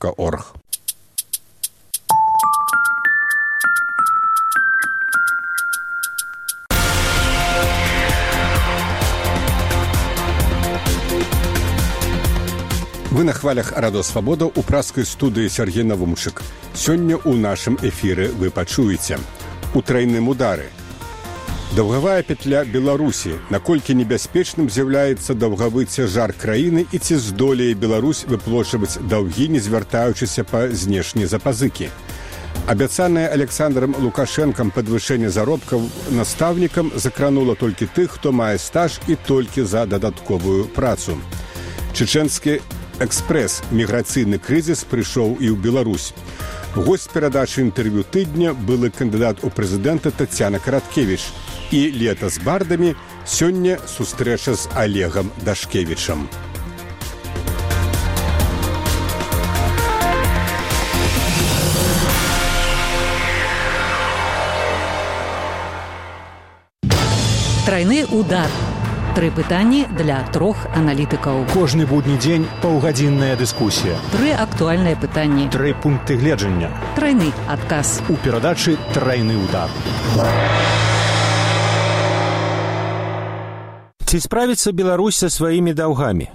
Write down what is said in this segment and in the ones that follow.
.org. Вы на хвалях Радио Свабода у праскай студыі Сергей Навумчык. Сёння ў нашым эфіры вы пачуеце. У трайным удары. Даўгавая петля Беларусі. Наколькі небяспечным з'яўляецца даўгавы цяжар краіны і ці здолее Беларусь выплочваць даўгі, не звяртаючыся па знешнія запазыкі. Абяцанае Александром Лукашэнкам падвышэнне заробкаў настаўнікам закранула толькі тых, хто мае стаж і толькі за дадатковую працу. Чеченскі экспрэс міграцыйны крызіс прыйшоў і ў Беларусь. Госць перадачы інтэрв'ю тыдня былы кандыдат у прэзідэнта Тацяна Караткевіч. І лета з бардамі, сёння сустрэча з Олегам Дашкевічам. Трайны удар. 3 пытанні для 3 аналітыкаў. Кожны будні дзень паўгадзінная дыскусія. 3 актуальныя пытанні. 3 пункты гледжання. Трайны адказ. У перадачы «Трайны удар». Ці справіцца Беларусь са сваімі даўгамі?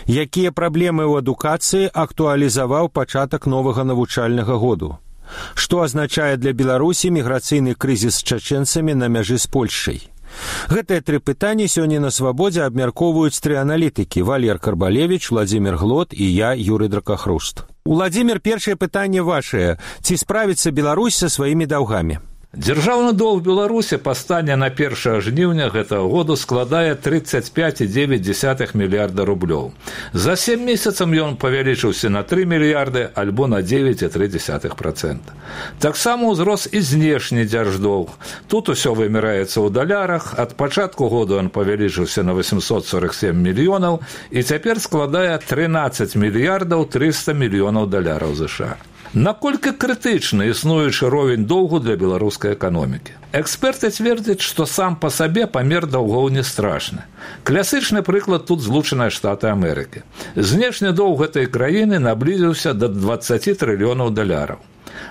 Якія праблемы ў адукацыі актуалізаваў пачатак новага навучальнага году? Што азначае для Беларусі міграцыйны крызіс з чачэнцамі на мяжы з Польшчай? Гэтыя 3 пытанні сёння на Свабодзе абмяркоўваюць 3 аналітыкі: Валер Карбалевіч, Владзімир Глот і я, Юрый Дракахруст. Владзімир, першае пытанне вашае. Ці справіцца Беларусь са сваімі даўгамі? Дзяржаўны доўг Беларусі па стане на 1 жніўня гэтага году складае 35,9 мільярда рублёў. За 7 месяцаў ён павялічыўся на 3 мільярды альбо на 9,3%. Таксама ўзрос і знешні дзярждоўг. Тут усё вымяраецца ў далярах. Ад пачатку году ён павялічыўся на 847 мільёнаў і цяпер складае 13 мільярдаў 300 мільёнаў даляраў США. Наколькі крытычны існуючы ровень доўгу для беларускай эканомікі? Эксперты цвердзяць, што сам па сабе памер даўгоў не страшны. Класычны прыклад тут Злучаныя Штаты Амерыкі. Знешні доўг гэтай краіны наблізіўся да 20 трыльёнаў даляраў.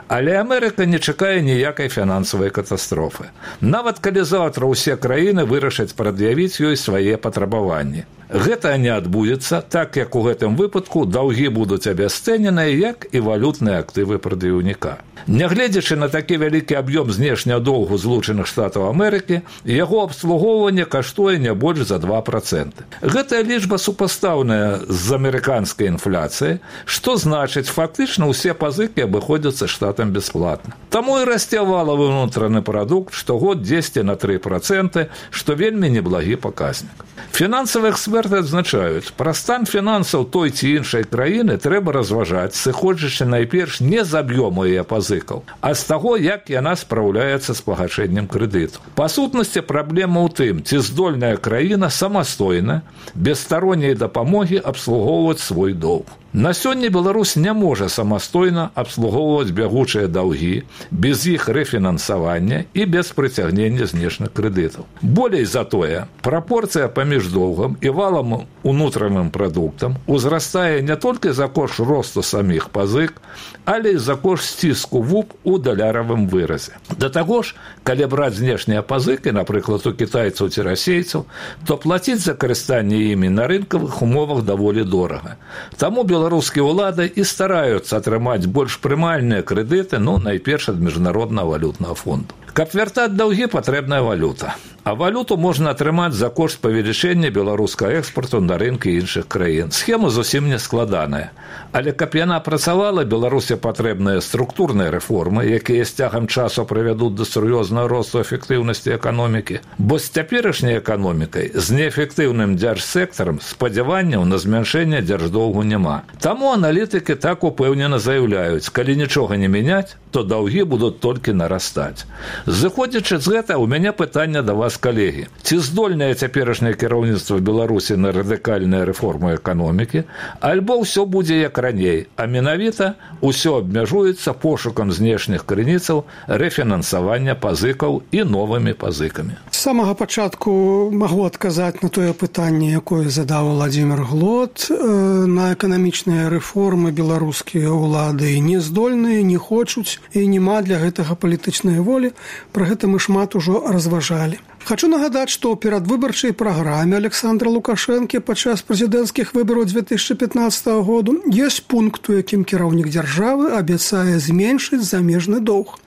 Але Амерыка не чакае ніякай фінансавай катастрофы. Нават калі заўтра ўсе краіны вырашаць прад'явіць ёй свае патрабаванні. Гэта не адбудзецца, так як у гэтым выпадку даўгі будуць абясцэненыя, як і валютныя актывы прадаўніка. Нягледзячы на такі вялікі аб'ём знешняга доўгу Злучаных Штатаў Амерыкі, яго абслугоўванне каштуе не больш за 2%. Гэтая лічба супастаўная з амерыканскай інфляцыяй, што значыць, фактычна ўсе пазыкі абыходзяцца штатам бясплатна. Таму і расце валавы ўнутраны прадукт штогод 10 на 3%, што вельмі неблагі паказнік. Фінансавыя эксперты адзначаюць, пра стан фінансаў той ці іншай краіны трэба разважаць, сыходзячы найперш не з аб'ёму яе пазыкаў, а з таго, як яна спраўляецца з пагашэннем крэдыту. Па сутнасці праблема ў тым, ці здольная краіна самастойна, без старонняй дапамогі абслугоўваць свой доўг. На сёння Беларусь не можа самастойна абслугоўваць бягучыя даўгі, без іх рэфінансавання і без прыцягнення знешніх крэдытаў. Болей за тое, прапорцыя паміж доўгам і валам унутраным прадуктам узрастае не толькі за кошт росту саміх пазык, але і за кошт сціску ВУП у даляравым выразе. Да таго ж, калі браць знешнія пазыкі, напрыклад, у кітайцаў ці расейцаў, то плаціць за карыстанне імі на рынкавых умовах даволі дорага. Таму беларускія ўлады і стараюцца атрымаць больш прымальныя крэдыты, найперш ад міжнароднага валютнага фонду. Каб вяртаць даўгі, патрэбная валюта. А валюту можна атрымаць за кошт павелічэння беларускага экспарту на рынкі іншых краін. Схема зусім не складаная. Але каб яна працавала, Беларусі патрэбныя структурныя рэформы, якія з цягам часу прывядуць да сур'ёзнага росту эфектыўнасці эканомікі. Бо з цяперашняй эканомікай, з неэфектыўным дзяржсектарам спадзяванняў на змяншэнне дзярждоўгу няма. Таму аналітыкі так упэўнена заяўляюць, калі нічога не мяняць, то даўгі будуць толькі нарастаць. Зыходзячы з гэта, у мяне пытанне да вас, калегі. Ці здольнае цяперашняе кіраўніцтва Беларусі на радыкальныя рэформы эканомікі, альбо ўсё будзе як раней, а менавіта ўсё абмяжуецца пошукам знешніх крыніцаў рэфінансавання пазыкаў і новымі пазыкамі. З самага пачатку магу адказаць на тое пытанне, якое задаў Владимир Глот. На эканамічныя рэформы беларускія ўлады не здольныя, не хочуць і няма для гэтага палітычнай волі. Пра гэта мы шмат ужо разважалі. Хочу нагадаць, што ў перадвыбарчай праграме Александра Лукашэнкі падчас прэзідэнцкіх выбараў 2015 году ёсць пункт, у якім кіраўнік дзяржавы абяцае зменшыць замежны доўг.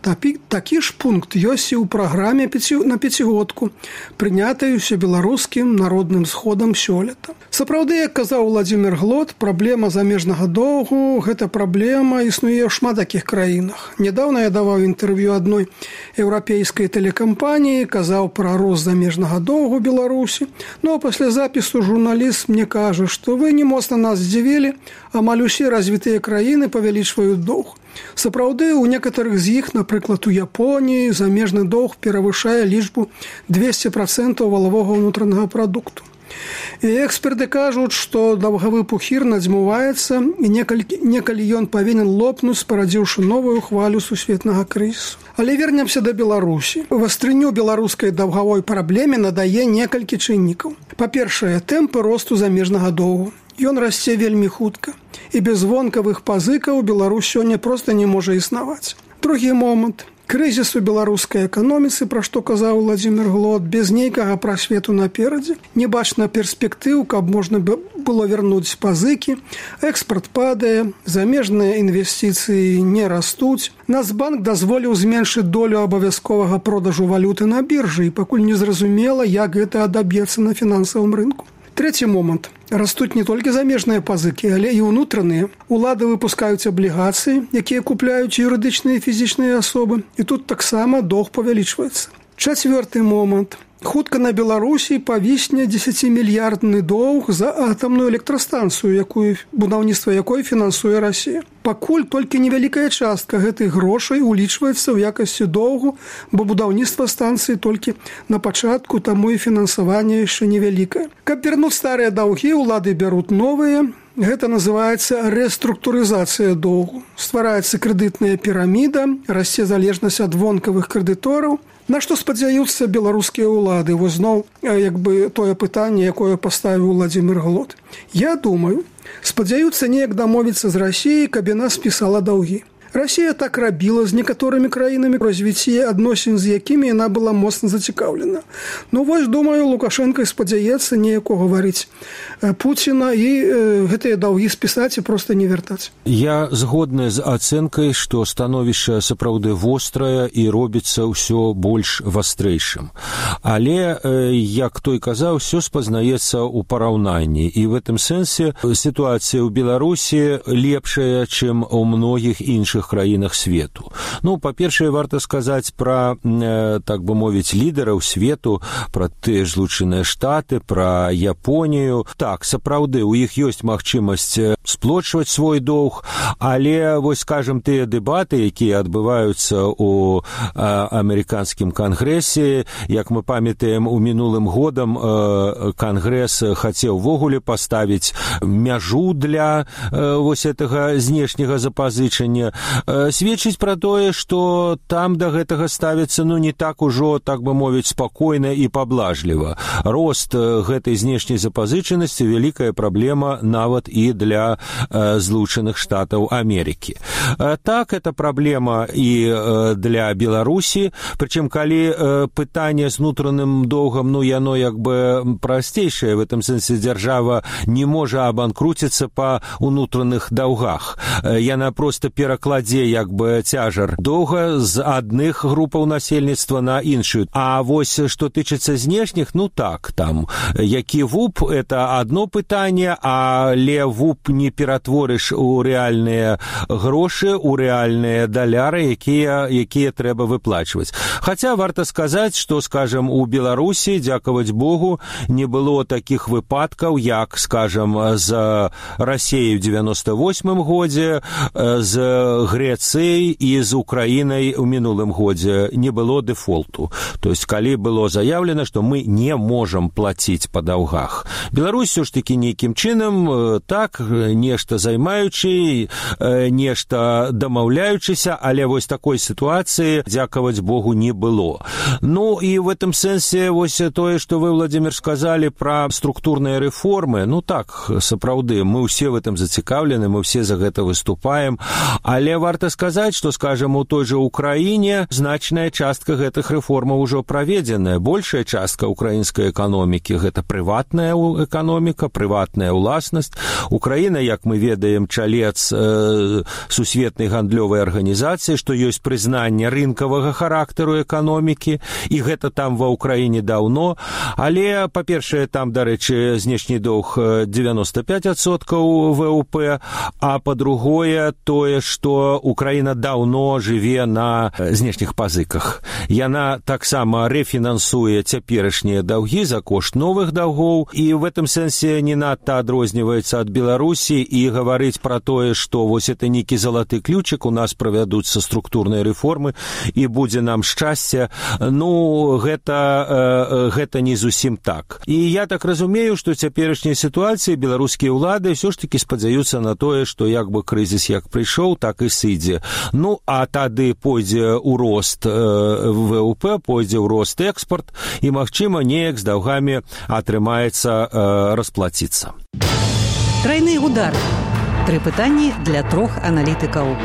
Такі ж пункт ёсць і ў праграме на пяцігодку, прынятай усебеларускім народным сходам сёлета. Сапраўды, як казаў Владимир Глот, праблема замежнага доўгу – гэта праблема існуе ў шмат такіх краінах. Нядаўна я даваў інтэрв'ю адной еўрапейскай тэлекампаніі, казаў пра рост замежнага доўгу Беларусі. Ну, а пасля запісу журналіст мне кажа, што вы не моцна нас здзівілі, амаль усе развітыя краіны павялічваюць доўг. Сапраўды, у некаторых з іх, напрыклад, у Японіі, замежны доўг перавышае лічбу 200% валавога ўнутранага прадукту. І эксперты кажуць, што даўгавы пухір надзьмуваецца і некалі ён павінен лопнуць, спарадзіўшы новую хвалю сусветнага крызісу. Але вернемся да Беларусі. Вастрыню беларускай даўгавой праблеме надае некалькі чыннікаў. Па-першае, тэмпы росту замежнага доўгу. Ён расце вельмі хутка. І без вонкавых пазыкаў Беларусь сёння проста не можа існаваць. Другі момант. Крызіс у беларускай эканоміцы, пра што казаў Владимир Глот, без нейкага прасвету наперадзе. Не бачна перспектыў, каб можна было вярнуць пазыкі. Экспарт падае, замежныя інвестыцыі не растуць. Нацбанк дазволіў зменшыць долю абавязковага продажу валюты на біржы, і пакуль не зразумела, як гэта адаб'ецца на фінансавым рынку. Трэці момант. Растуць не толькі замежныя пазыкі, але і ўнутраныя. Улады выпускаюць аблігацыі, якія купляюць юрыдычныя і фізічныя асобы. І тут таксама доўг павялічваецца. Чацвёрты момант. Хутка на Беларусі павісне 10-мільярдны доўг за атамную электрастанцыю, будаўніцтва якой фінансуе Расія. Пакуль толькі невялікая частка гэтых грошай улічваецца ў якасці доўгу, бо будаўніцтва станцыі толькі на пачатку, таму і фінансаванне яшчэ невялікае. Каб вярнуць старыя даўгі, улады бяруць новыя. Гэта называецца рэструктурызацыя доўгу. Ствараецца крэдытная піраміда, расце залежнасць ад вонкавых крэдытораў. На што спадзяюцца беларускія ўлады? Вось зноў тое пытанне, якое паставіў Владимир Глот. Я думаю, спадзяюцца неяк дамовіцца з Расіяй, каб яна спісала даўгі. Расія так рабіла з некаторымі краінамі, развіцці адносін з якімі яна была моцна зацікаўлена. Ну вось, думаю, Лукашенко спадзяецца неяк угаварыць Пуціна і гэтыя даўгі спісаць і проста не вяртаць. Я згодны з ацэнкай, што становішча сапраўды вострае і робіцца ўсё больш вастрэйшым. Але, як той казаў, ўсё спазнаецца ў параўнанні. І в гэтым сэнсе сітуацыя ў Беларусі лепшая, чым у многіх іншых краінах свету. Ну, па-першае, варта сказаць пра, так бы мовіць, лідараў свету, пра тыя ж Злучаныя Штаты, пра Японію. Так, сапраўды, у іх ёсць магчымасць сплочваць свой доўг, але, вось, скажем, тыя дэбаты, якія адбываюцца ў амерыканскім кангрэсе, як мы памятаем, у мінулым годам кангрэс хацеў ввогуле паставіць мяжу для вось гэтага знешняга запазычання, сведчыць пра тое, што там да гэтага ставіцца, не так ужо, так бы мовіць, спакойна і паблажліва. Рост гэтай знешняй запазычанасці вялікая праблема нават і для Злучаных Штатаў Амерыкі. Так, это праблема і для Беларусі, прычым калі пытанне з унутраным доўгам, яно як бы прасцейшае, в этом сэнсе дзяржава не можа абанкруціцца па унутраных даўгах. Яна проста перакладзе як бы цяжар доўга з адных групаў насельніцтва на іншую. А вось што тычыцца знешніх, так, там які ВУП, это одно пытанне, але ВУП не ператворыш у рэальныя грошы, грошы ў рэальныя даляры, якія трэба выплачваць. Хаця варта сказаць, што, скажам, у Беларусі, дзякаваць Богу, не было такіх выпадкаў, як, скажам, з Расіяй у 98 годзе, з Грэцыяй і з Украінай у мінулым годзе не было дэфолту. То есть, калі было заявлена, што мы не можам плаціць па даўгах. Беларусь ўсё ж такі нейкім чынам, так, нешта займаючы, нешта дамаўляючыся, але вось такой сітуацыі, дзякаваць Богу, не было. Ну, і в этом сэнсе, вось тое, што вы, Владимир, сказалі пра структурныя рэформы, ну так, сапраўды, мы ўсе в этом зацікаўлены, мы ўсе за гэта выступаем, але варта сказаць, што, скажам, у той жа Украіне значная частка гэтых рэформаў ужо праведзеная. Большая частка украінскай эканомікі – гэта прыватная эканоміка, прыватная ўласнасць. Украіна, як мы ведаем, чалец сусветнай гандлёвай арганізацыі, што ёсць прызнанне рынкавага характару эканомікі, і гэта там ва Ўкраіне даўно. Але, па-першае, там, дарэчы, знешні доўг 95% ВВП, а па-другое, тое, што Украіна даўно жыве на знешніх пазыках. Яна таксама рэфінансуе цяперашнія даўгі за кошт новых даўгоў, і в этом сэнсе не надта адрозніваецца ад Беларусі, і гаварыць пра тое, што вось это нейкі залаты ключик, у нас правядуцца структурныя рэформы, і будзе нам шчасце, ну, гэта не зусім так. І я так разумею, што цяперашняй сітуацыі беларускія ўлады ўсё ж такі спадзяюцца на тое, што як бы крызіс як прыйшоў, так і сыдзе. Ну, а тады пойдзе ў рост ВВП, пойдзе ў рост экспорт, і, магчыма, неяк з даўгамі атрымаецца расплаціцца. Трайны удар. 3 пытанні для 3 аналітыкаў.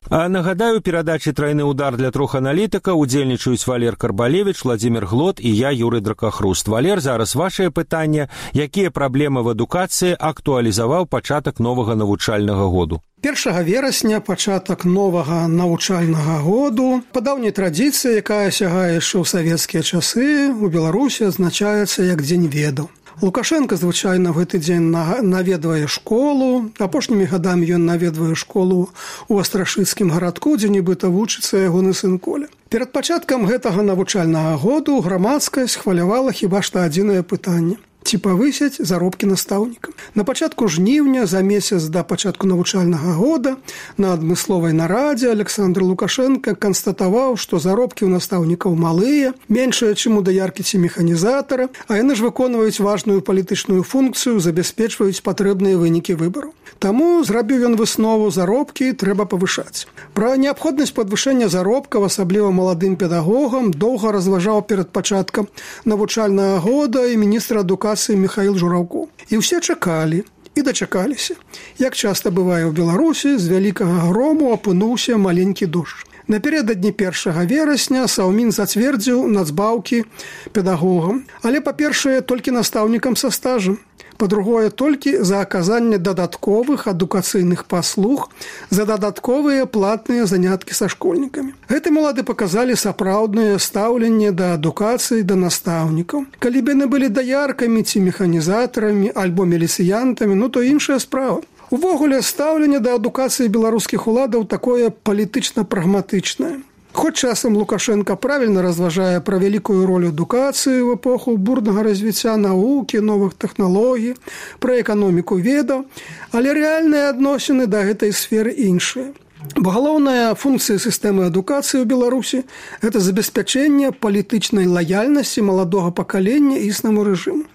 Нагадаю, перадачы «Трайны удар» для 3 аналітыкаў удзельнічаюць Валер Карбалевіч, Владимир Глот і я, Юрый Дракахруст. Валер, зараз вашае пытанне. Якія праблемы в адукацыі актуалізаваў пачатак новага навучальнага году? 1 верасня пачатак новага навучальнага году. Па даўняй традыцыі, якая сягае яшчэ ў савецкія часы, у Беларусі адзначаецца як Дзень ведаў. Лукашенко звычайна в гэты дзень наведвае школу. Апошнімі гадамі ён наведвае школу ў Астрашыцкім гарадку, дзе нібыта вучыцца ягоны сын Коля. Перад пачаткам гэтага навучальнага году грамадскасць хвалявала хіба што адзінае пытанне: ці павысяць заробкі настаўнікам. На пачатку жніўня, за месяц да пачатку навучальнага года, на адмысловай нарадзе Александр Лукашенко канстатаваў, што заробкі ў настаўнікаў малыя, меншыя, чым у даяркі ці механізатара, а яны ж выконваюць важную палітычную функцыю, забяспечваюць патрэбныя вынікі выбараў. Таму зрабіў ён выснову: заробкі трэба павышаць. Пра неабходнасць падвышэння заробкаў, асабліва маладым педагогам, доўга разважаў перад пачаткам навучальнага года і міністр адукацыі Михаил Жураўко. І ўсе чакалі і дачакаліся. Як часта бывае ў Беларусі, з вялікага грому апынуўся маленькі дождж. Напярэдадні 1 верасня Саўмін зацвердзіў нацбаўкі педагогам, але, па-першае, толькі настаўнікам са стажам. Па-другое, толькі за аказанне дадатковых адукацыйных паслуг за дадатковыя платныя заняткі са школьнікамі. Гэты малады паказалі сапраўднае стаўленне да адукацыі, да настаўнікаў. Калі б яны былі даяркамі ці механізатарамі альбо міліцыянтамі, ну то іншая справа. Увогуле, стаўленне да адукацыі беларускіх уладаў такое палітычна-прагматычнае. Хоць часам Лукашенко правільна разважае пра вялікую ролю адукацыі ў эпоху бурнага развіцця навукі, новых тэхналогій, пра эканоміку ведаў, але рэальныя адносіны да гэтай сферы іншыя. Бо галоўная функцыя сістэмы адукацыі ў Беларусі – гэта забеспячэнне палітычнай лаяльнасці маладога пакалення існаму рэжыму.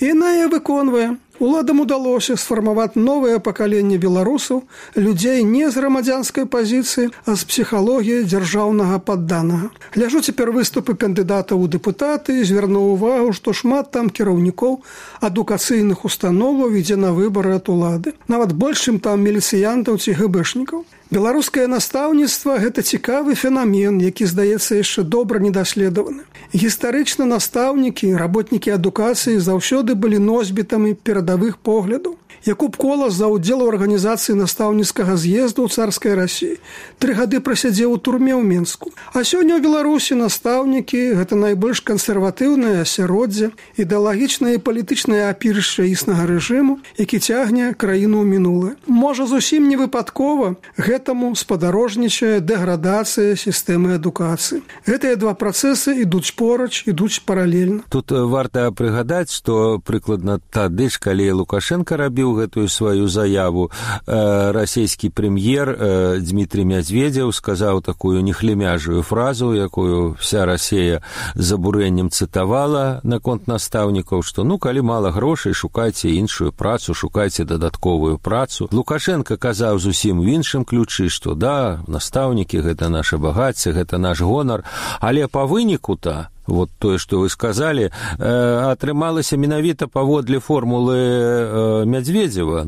І яна яе выконвае. Уладам удалося сфармаваць новае пакаленне беларусаў, людзей не з грамадзянскай пазіцыі, а з псіхалогіяй дзяржаўнага падданага. Гляжу цяпер выступы кандыдатаў у дэпутаты і звярнуў увагу, што шмат там кіраўнікоў адукацыйных установаў ідзе на выбары ад улады. Нават больш, чым там міліцыянтаў ці гэбэшнікаў. Беларускае настаўніцтва – гэта цікавы фенамен, які, здаецца, яшчэ добра недаследаваны. Гістарычна настаўнікі, работнікі адукацыі заўсёды былі носьбітамі перадавых поглядаў. Якуб Колас за ўдзел у арганізацыі настаўніцкага з'езду ў царскай Расіі 3 гады прасядзеў у турме ў Мінску. А сёння ў Беларусі настаўнікі – гэта найбольш кансерватыўнае асяроддзе, ідэалагічнае і палітычнае апірышча існага рэжыму, які цягне краіну ў мінулае. Можа, зусім не выпадкова гэтаму спадарожнічае дэградацыя сістэмы адукацыі. Гэтыя два працэсы ідуць поруч, ідуць паралельна. Тут варта прыгадаць, што прыкладна тады ж, калі Лукашенко рабіў гэтую сваю заяву, расійскі прэм'ер Дмітрий Медведев сказаў такую нехлемяжую фразу, якую вся Расія з абурэннем цытавала наконт настаўнікаў, што калі мала грошай, шукайце іншую працу, шукайце дадатковую працу. Лукашенко казаў зусім у іншым ключы, што да, настаўнікі – гэта наша багацце, гэта наш гонар, але па выніку-то вот тое, што вы сказалі, атрымалася менавіта паводле формулы Медведева.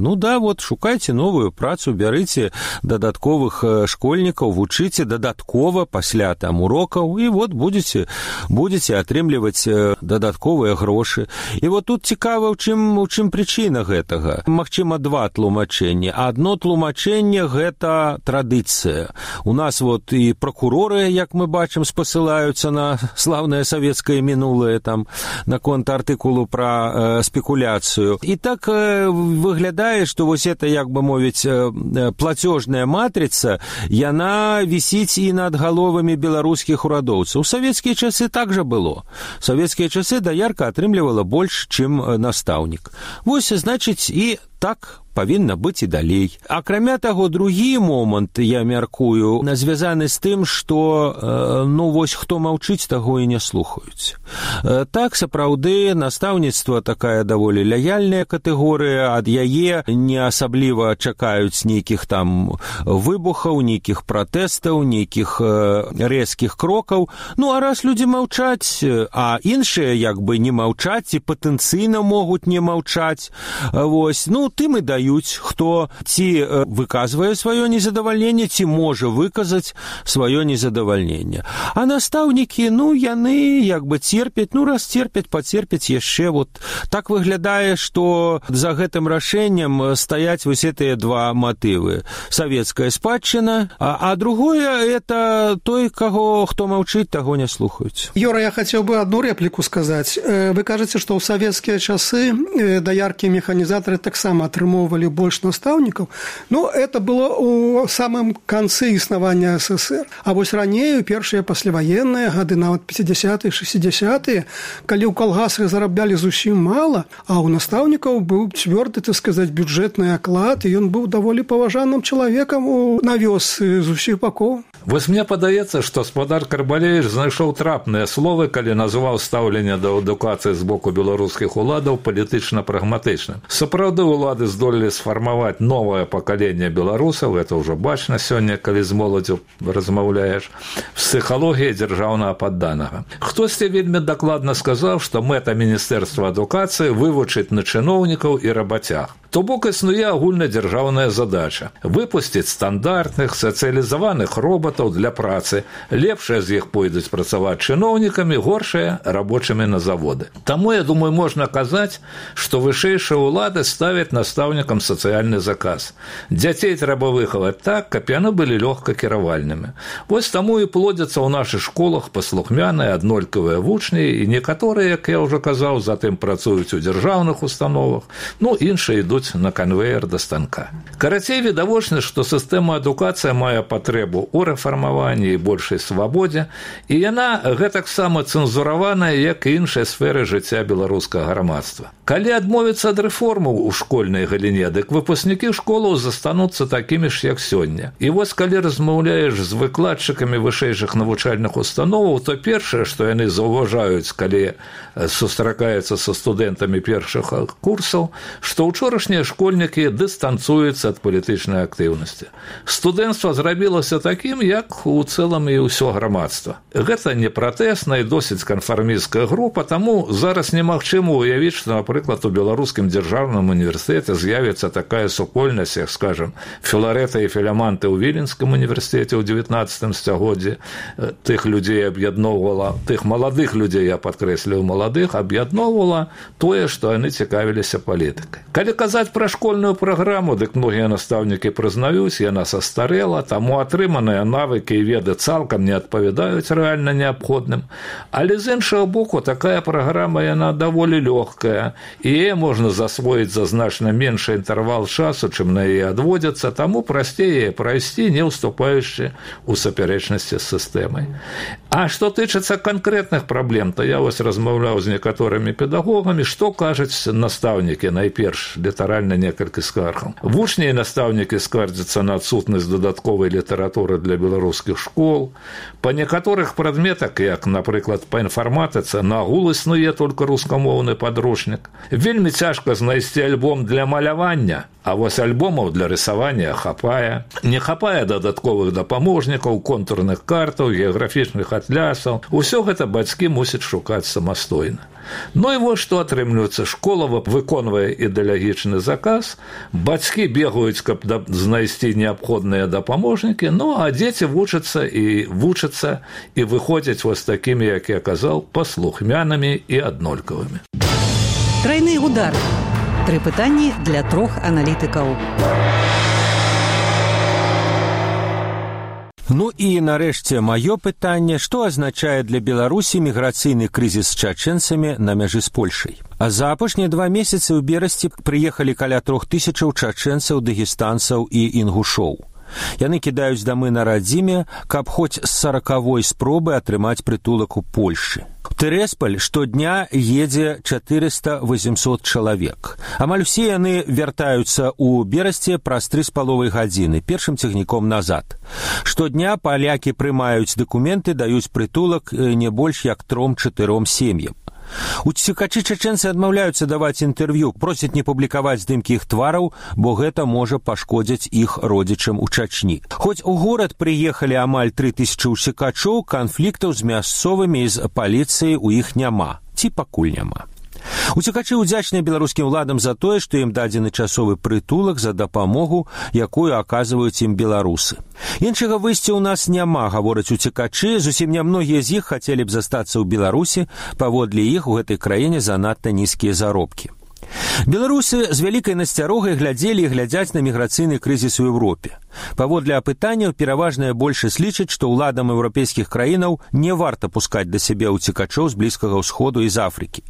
Шукайце новую працу, бярыце дадатковых школьнікаў, вучыце дадаткова пасля урокаў, і будзеце атрымліваць дадатковыя грошы. І тут цікава, у чым прычына гэтага. Магчыма, два тлумачэнні. Адно тлумачэнне – гэта традыцыя. У нас і пракуроры, як мы бачым, спасылаюцца на слаўнае советское минулое наконт артыкулу про спекуляцию. И так выглядает, что это, як бы мовить, платежная матрица, яна висит и над головами белорусских урадоўцаў. У советские часы так же было. В советские часы доярка атрымлівала больше, чем настаўнік. Значит, и так павінна быць і далей. Акрамя таго, другі момант, я мяркую, звязаны з тым, што хто маўчыць, таго і не слухаюць. Так, сапраўды, настаўніцтва такая даволі лаяльная катэгорыя, ад яе не асабліва чакаюць нейкіх выбухаў, нейкіх пратэстаў, нейкіх рэзкіх крокаў. А раз людзі маўчаць, а іншыя як бы не маўчаць і патэнцыйна могуць не маўчаць, тым і даюць, хто ці выказвае сваё незадавальненне, ці можа выказаць сваё незадавальненне. А настаўнікі, яны як бы церпяць, раз церпяць, пацерпяць яшчэ. Так выглядае, што за гэтым рашэннем стаяць гэтыя два матывы. Савецкая спадчына, а другое – это той, хто маўчыць, таго не слухаюць. Юра, я хацеў бы одну реплику сказаць. Вы кажаце, што ў савецкія часы даяркі і механізатары таксама атрымоўвалі больш настаўнікаў. Это было ў самым канцы існавання СССР. А раней, у першыя пасляваенныя гады, нават 50-е, 60-е, калі ў калгасах зараблялі зусім мала, а ў настаўнікаў быў цвёрды, бюджэтны аклад, і ён быў даволі паважаным чалавекам на вёсцы з усіх бакоў. Мне падаецца, што спадар Карбалевіч знайшоў трапныя словы, калі называў стаўленне да адукацыі з боку беларускіх уладаў палітычна-прагматычным. Сапраўды, улады здолелі сфармаваць новае пакаленне беларусаў, это ўжо бачна сёння, калі з моладзю размаўляеш, псіхалогія дзяржаўнага падданага. Хтосьці вельмі дакладна сказаў, што мэта Міністэрства адукацыі вывучыць на чыноўнікаў і рабацяг. То бок існуе агульнадзяржаўная задача – выпусціць стандартных, сацыялізаваных роботаў для працы. Лепшыя з іх пойдуць працаваць чыноўнікамі, горшыя – рабочымі на заводы. Таму, я думаю, можна казаць, што вышэйшыя ўлады ставяць настаўнікам сацыяльны заказ. Дзяцей трэба выхаваць так, каб яны былі лёгка кіравальнымі. Таму і плодзяцца ў нашых школах паслухмяныя, аднолькавыя вучні, і некаторыя, як я ўжо казаў, затым працуюць у дзяржаўных установах, іншыя ідуць на канвеер да станка. Карацей, відавочна, што сістэма адукацыі мае патрэбу ў рэфармаванні і большай свабодзе, і яна гэтаксама цэнзураваная, як і іншыя сферы жыцця беларускага грамадства. Калі адмовіцца ад рэформаў у школьнай галіне, дык выпускнікі школаў застануцца такімі ж, як сёння. І калі размаўляеш з выкладчыкамі вышэйшых навучальных установаў, то першае, што яны заўважаюць, калі сустракаюцца са студэнтамі першых курсаў, што ўчорашнія школьнікі дыстанцуюцца ад палітычнай актыўнасці. Студэнцтва зрабілася такім, як у цэлым і ўсё грамадства. Гэта не пратэсная і досыць канфармісцкая група, таму зараз немагчыма ўявіць, што, напрыклад, у беларускім дзяржаўным універсітэце універсітэты з'явіцца такая супольнасць, як, скажем, Філарэта і Філяманты ў Віленскім універсітэце ў 19 стагоддзі. Тых людзей аб'ядноўвала, тых маладых людзей, я падкрэсліў маладых, аб'ядноўвала тое, што яны цікавіліся палітыкай. Калі казаць пра школьную праграму, дык многія настаўнікі прызнаюць, яна састарэла, таму атрыманыя навыкі і веды цалкам не адпавядаюць рэальна неабходным. Але з іншага боку, такая праграма, яна даволі лёгкая, і яе можна засвоіць за значна меншы інтэрвал часу, чым на яе адводзяцца, таму прасцей яе прайсці, не ўступаючы ў супярэчнасці з сістэмай. А што тычыцца канкрэтных праблем, то я вось размаўляў з некаторымі педагогамі, што кажуць настаўнікі, найперш літаральна некалькі скаргаў. Вучні і настаўнікі скардзяцца на адсутнасць дадатковай літаратуры для беларускіх школ. Па некаторых прадметах, як, напрыклад, па інфарматыцы, нагул існуе толькі рускамоўны падручнік. Вельмі цяжка знайсці альбом для малявання, а вось альбомаў для рысавання хапае. Не хапае дадатковых дапаможнікаў, контурных картаў, геаграфічных атлясаў. Усё гэта бацькі мусяць шукаць самастойна. Ну і вось што атрымліваецца. Школа выконвае ідэалагічны заказ, бацькі бегаюць, каб знайсці неабходныя дапаможнікі, ну а дзеці вучацца і выходзяць вось такімі, як я казаў, паслухмянымі і аднолькавымі. Тройны удар. 3 пытанні для 3 аналітыкаў. Ну і нарэшце маё пытанне, што азначае для Беларусі міграцыйны крызіс з чачэнцамі на мяжы з Польшай. А за апошнія 2 месяцы ў берасці прыехалі каля 3000 чачэнцаў, дагестанцаў і інгушоў. Яны кідаюць дамы на радзіме, каб хоць з 40-й спробы атрымаць прытулак у Польшы. У Тэресполь штодня едзе 400-800 чалавек. Амаль усе яны вяртаюцца ў Берасце праз 3,5 гадзіны, першым цягніком назад. Штодня палякі прымаюць дакументы, даюць прытулак не больш як 3-4 сем'ям. Уцекачы чачэнцы адмаўляюцца даваць інтэрв'ю, просяць не публікаваць здымкі іх твараў, бо гэта можа пашкодзіць іх родзічам у Чачні. Хоць у горад прыехалі амаль 3000 уцекачоў, канфліктаў з мясцовымі і з паліцыяй у іх няма, ці пакуль няма. Уцекачы ўдзячныя беларускім уладам за тое, што ім дадзены часовы прытулак, за дапамогу, якую аказваюць ім беларусы. Іншага выйсця ў нас няма, гавораць уцекачы, зусім нямногія з іх хацелі б застацца ў Беларусі, паводле іх у гэтай краіне занадта нізкія заробкі. Беларусы з вялікай насцярогай глядзелі і глядзяць на міграцыйны крызіс у Еўропе. Паводле апытанняў, пераважная большасць лічыць, што ўладам еўрапейскіх краінаў не варта пускаць да сябе ўцекачоў з Блізкага ўсходу і з Афрыкі.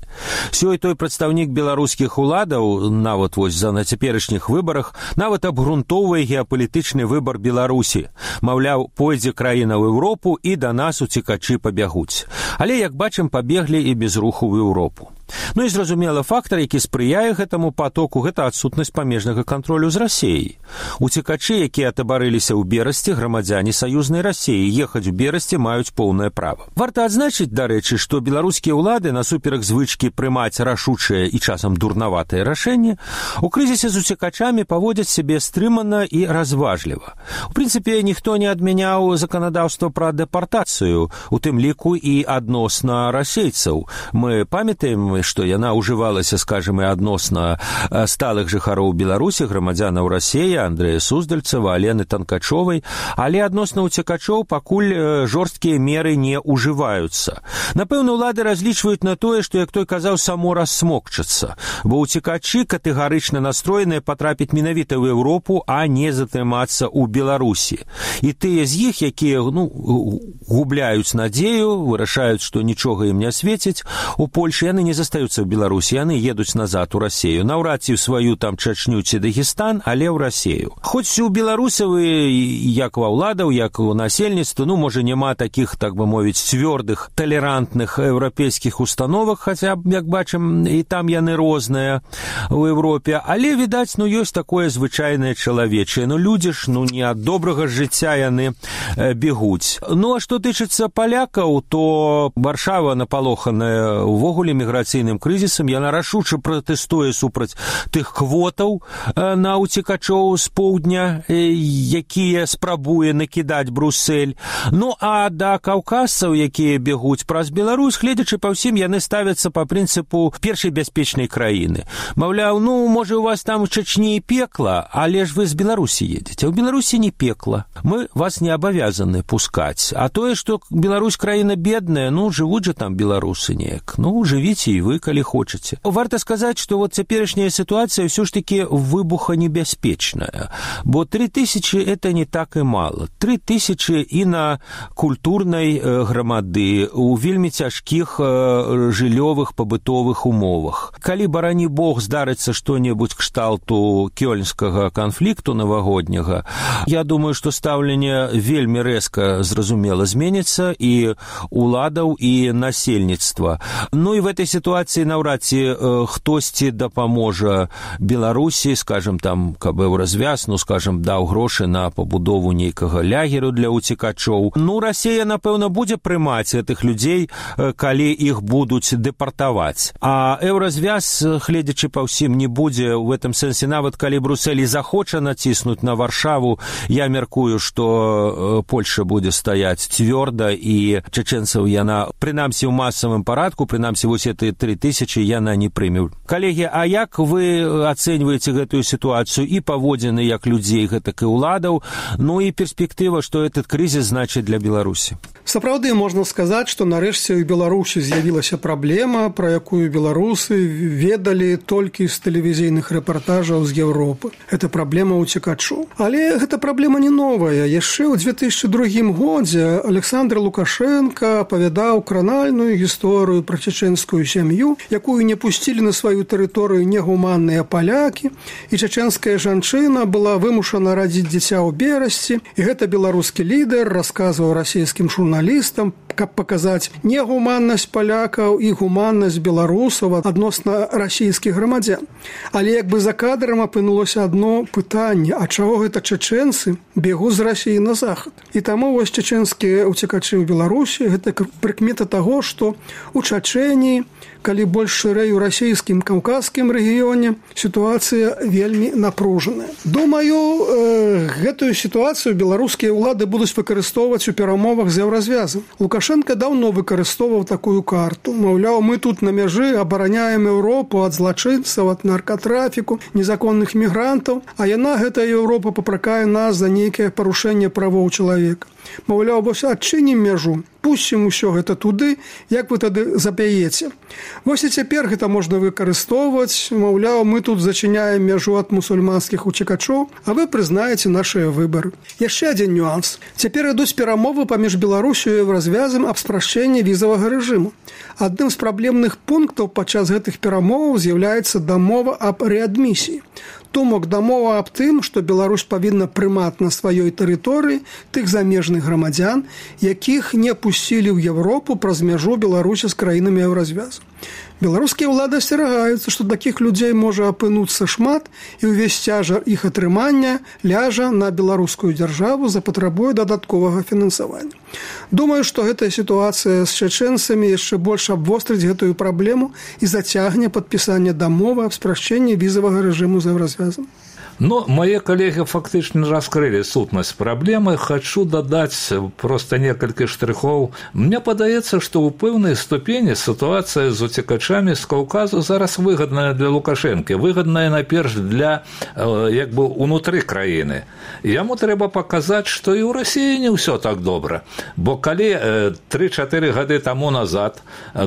Сёй-той прадстаўнік беларускіх уладаў, нават вось на цяперашніх выбарах, нават абгрунтоўвае геапалітычны выбар Беларусі. Маўляў, пойдзе краіна ў Еўропу і да нас уцекачы пабягуць. Але, як бачым, пабеглі і без руху ў Еўропу. Ну і зразумела, фактар, які спрыяе гэтаму потоку, гэта адсутнасць памежнага кантролю з Расіяй. Уцекачы, якія атабарыліся ў Берасці, грамадзяне саюзнай Расіі, ехаць у Берасці маюць поўнае права. Варта адзначыць, дарэчы, што беларускія ўлады, насуперак звычкі прымаць рашучае і часам дурнаватае рашэнне, у крызісе з уцекачамі паводзяць сябе стрымана і разважліва. У прынцыпе, ніхто не адмяняў заканадаўства пра дэпартацыю, у тым ліку і адносна расейцаў. Мы памятаем, што яна ўжывалася, скажем, і адносна сталых жыхароў Беларусі, грамадзянаў Расіі, Андрэя Суздальцева, Алены Танкачовай, але адносна ўцекачоў пакуль жорсткія меры не ўжываюцца. Напэўна, улады разлічваюць на тое, што, як той казаў, само рассмокчацца, бо ўцекачы катэгарычна настроеныя патрапіць менавіта ў Еўропу, а не затрымацца ў Беларусі. І тыя з іх, якія губляюць надзею, вырашаюць, што нічога ім не свеціць, у Польшы яны не застаюцца ў Беларусі, яны едуць назад у Расію. Наўрад ці ў сваю там Чачню ці Дагестан, але ў Расію. Хоць у беларусаў, як ва ўладаў, як у насельніцтва, можа, няма такіх, так бы мовіць, цвёрдых, талерантных еўрапейскіх установах, хаця, як бачым, і там яны розныя ў Еўропе, але, відаць, ёсць такое звычайнае чалавечае. Людзі ж, не ад добрага жыцця яны бегуць. А што тычыцца палякаў, то Варшава напалоханая увогуле міграцыйнай міграцыйным крызісам, яна рашуча пратэстуе супраць тых квотаў на уцекачоў з поўдня, якія спрабуе накідаць Бруссель. Ну, а да каўказцаў, якія бегуць праз Беларусь, гледзячы па ўсім, яны ставяцца па прынцыпу першай бяспечнай краіны. Маўляў, ну, можа, у вас там у Чачні і пекла, але ж вы з Беларусі едзеце. А ў Беларусі не пекла. Мы вас не абавязаны пускаць. А тое, што Беларусь краіна бедная, ну, жывуць жа там беларусы неяк. Ну, жывіце і вы, калі хочаце. Варта сказаць, што вот цяперашняя сітуацыя ўсё ж такі выбуханебяспечная. Бо 3000 это не так і мала. 3000 і на культурнай грамады, у вельмі цяжкіх жыллёвых пабытовых умовах. Калі, барані Бог, здарыцца што-небудзь кшталту кёльнскага канфлікту навагодняга, я думаю, што стаўленне вельмі рэзка, зразумела, зменіцца і уладаў, і насельніцтва. Ну і в этой сітуацыі наўрад ці хтосьці дапаможа Беларусі, скажем, там, каб развяз, ну, скажем, даў грошы на пабудову нейкага лягеру для уцекачоў. Ну, Расія, напэўна, будзе прымаць гэтых людзей, калі іх будуць дэпартаваць. А еўразвяз, гледзячы па ўсім, не будзе ў гэтым сэнсе, нават калі Бруссель захоча націснуць на Варшаву, я мяркую, што Польша будзе стаяць цвёрда, і чачэнцаў яна, прынамсі ў масавым парадку, прынамсі вось эти 3000 яна не прыме. Калегі, а як вы ацэньваеце гэтую сітуацыю і паводзіны як людзей, гэтак і ўладаў, ну і перспектыва, што этот крызіс значыць для Беларусі? Сапраўды, можна сказаць, што нарэшце ў Беларусі з'явілася праблема, пра якую беларусы ведалі толькі з тэлевізійных рэпартажаў з Еўропы. Гэта праблема уцекачоў. Але гэта праблема не новая. Яшчэ ў 2002 годзе Александр Лукашенко апавядаў кранальную гісторыю пра чачэнскую сям'ю, якую не пусцілі на сваю тэрыторыю негуманныя палякі, і чачэнская жанчына была вымушана радзіць дзіця ў Берасці, і гэта беларускі лідар расказваў расійскім журналістам, каб паказаць негуманнасць палякаў і гуманнасць беларусаў адносна расійскіх грамадзян. Але як бы за кадрам апынулася адно пытанне, а чаго гэта чачэнцы бегуць з Расіі на захад? І таму вось чачэнскія уцекачы ў Беларусі – гэта прыкмета таго, што у Чачэніі, калі больш шырэй у расійскім каўказскім рэгіёне, сітуацыя вельмі напружаная. Думаю, гэтую сітуацыю беларускія ўлады будуць выкарыстоўваць у перамовах з еўразвязам. Лукашенко даўно выкарыстоўваў такую карту. Маўляў, мы тут на мяжы абараняем Еўропу ад злачынцаў, ад наркатрафіку, незаконных мігрантаў, а яна, гэта Еўропа, папракае нас за нейкае парушэнне правоў чалавека. Маўляў, вось адчынім мяжу, пусцім усё гэта туды, як вы тады запяеце. Вось і цяпер гэта можна выкарыстоўваць. Маўляў, мы тут зачыняем мяжу ад мусульманскіх уцекачоў, а вы прызнаеце нашыя выбары. Яшчэ адзін нюанс. Цяпер ідуць перамовы паміж Беларусю і Еўразвязам аб спрашчэнні візавага рэжыму. Адным з праблемных пунктаў падчас гэтых перамоваў з'яўляецца дамова аб рэадмісіі. Думак дамова аб тым, што Беларусь павінна прымаць на сваёй тэрыторыі тых замежных грамадзян, якіх не пусцілі ў Еўропу праз мяжу Беларусі з краінамі еўразвязу. Беларускія ўлады асцерагаюцца, што такіх людзей можа апынуцца шмат, і ўвесь цяжар іх атрымання ляжа на беларускую дзяржаву, запатрабуе дадатковага фінансавання. Думаю, што гэтая сітуацыя з чачэнцамі яшчэ больш абвострыць гэтую праблему і зацягне падпісанне дамовы аб спрашчэнні візавага рэжыму з еўразвязам. Но мои коллеги фактически раскрыли сутность проблемы. Хочу додать просто несколько штрихов. Мне подается, что у пэўнай ступені ситуация с утекачами с Кавказу зараз выгодная для Лукашенко, выгодная наперш для як бы унутры краіны. Яму трэба показать, что и у России не все так добра. Бо калі 3-4 гады тому назад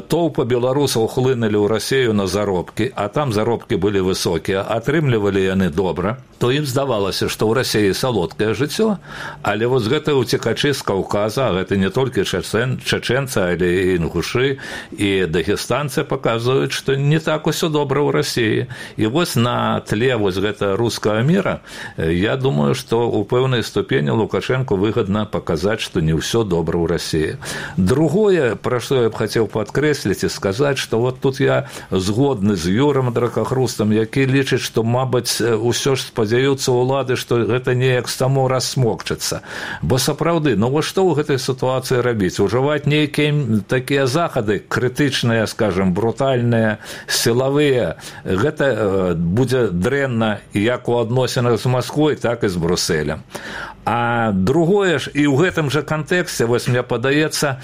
толпы беларусаў хлынули ў Россию на заробки, а там заробки были высокие, атрымлівалі яны добра, то ім здавалася, што ў Расіі салодкае жыццё, але вось гэта уцекачы з Каўказа, гэта не толькі чачэнцы, але і інгушы, і дагестанцы паказваюць, што не так усё добра ў Расіі. І вось на тле вось гэта рускага міра, я думаю, што ў пэўнай ступені Лукашенко выгадна паказаць, што не ўсё добра ў Расіі. Другое, пра што я б хацеў падкрэсліць і сказаць, што вот тут я згодны з Юрам Дракахрустам, які лічыць, што, мабыць, усё ж спадзяецца спадзяюцца ўлады, што гэта неяк само рассмокчыцца. Бо сапраўды, вось што ў гэтай сітуацыі рабіць? Ужываць нейкія такія захады крытычныя, скажем, брутальныя, сілавыя. Гэта будзе дрэнна як у адносінах з Масквой, так і з Брусэлем. А другое ж, і ў гэтым жа кантэксце, вось мне падаецца,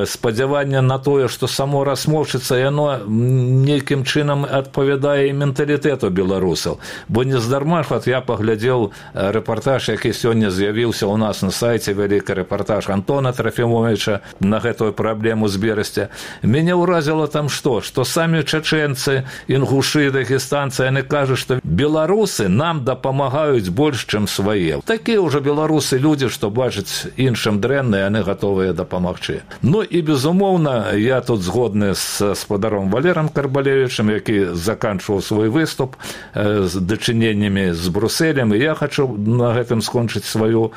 спадзяванне на тое, што само рассмокчыцца, яно нейкім чынам адпавядае і менталітэту беларусаў. Бо нездарма ж, я паглядзеў рэпартаж, які сёння з'явіўся ў нас на сайце, вялікі рэпартаж Антона Трафімовіча на гэтую праблему з Берасця. Мяне ўразіла там што? Што самі чачэнцы, інгушы, дагестанцы, яны кажуць, што беларусы нам дапамагаюць больш, чым свае. Такія ўжо беларусы людзі, што бачаць іншым дрэнна, яны гатовыя дапамагчы. І, безумоўна, я тут згодны з спадаром Валерам Карбалевічам, які заканчваў свой выступ з дачыненнямі з Брусэлем, і я хачу на гэтым скончыць сваю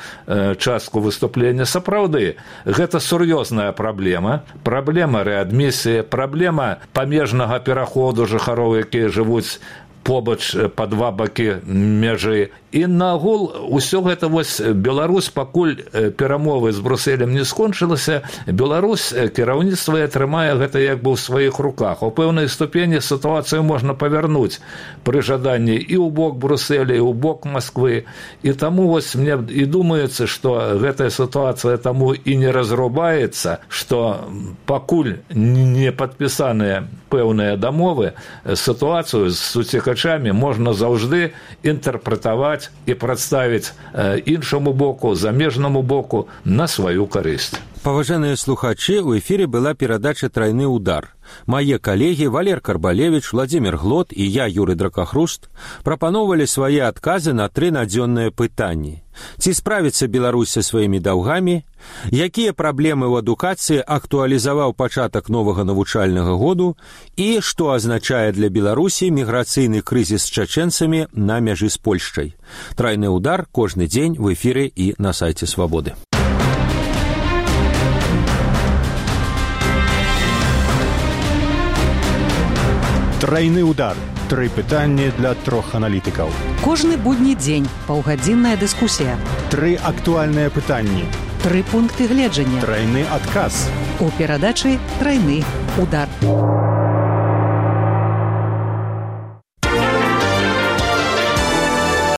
частку выступлення. Сапраўды, гэта сур'ёзная праблема. Праблема рэадмісіі, праблема памежнага пераходу жыхароў, якія жывуць побач па два бакі мяжы. І нагул усё гэта вось Беларусь, пакуль перамовы з Брусэлем не скончылася, Беларусь кіраўніцтва атрымае гэта як бы ў сваіх руках. У пэўнай ступені сітуацыю можна павярнуць пры жаданні і ў бок Брусэля, і ў бок Масквы. І таму вось мне і думаецца, што гэтая сітуацыя таму і не разрубаецца, што пакуль не падпісаныя пэўныя дамовы, сітуацыю з уцекачамі можна заўжды інтэрпрэтаваць і прадставіць іншаму боку, замежнаму боку на сваю карысць. Паважаныя слухачы, у эфіре была перадача «Трайны удар». Мае калегі Валер Карбалевіч, Владзімір Глот і я, Юрый Дракахруст, прапаноўвалі свае адказы на 3 надзённыя пытанні. Ці справіцца Беларусь са сваімі даўгамі? Якія праблемы ў адукацыі актуалізаваў пачатак новага навучальнага году? І што азначае для Беларусі міграцыйны крызіс з чачэнцамі на мяжы з Польшчай? «Трайны удар» кожны дзень в эфіры і на сайце Свабоды. Трайны удар. 3 пытанні для 3 аналітыкаў. Кожны будні дзень паўгадзінная дыскусія. 3 актуальныя пытанні. 3 пункты гледжання. Трайны адказ. У перадачы «Трайны удар».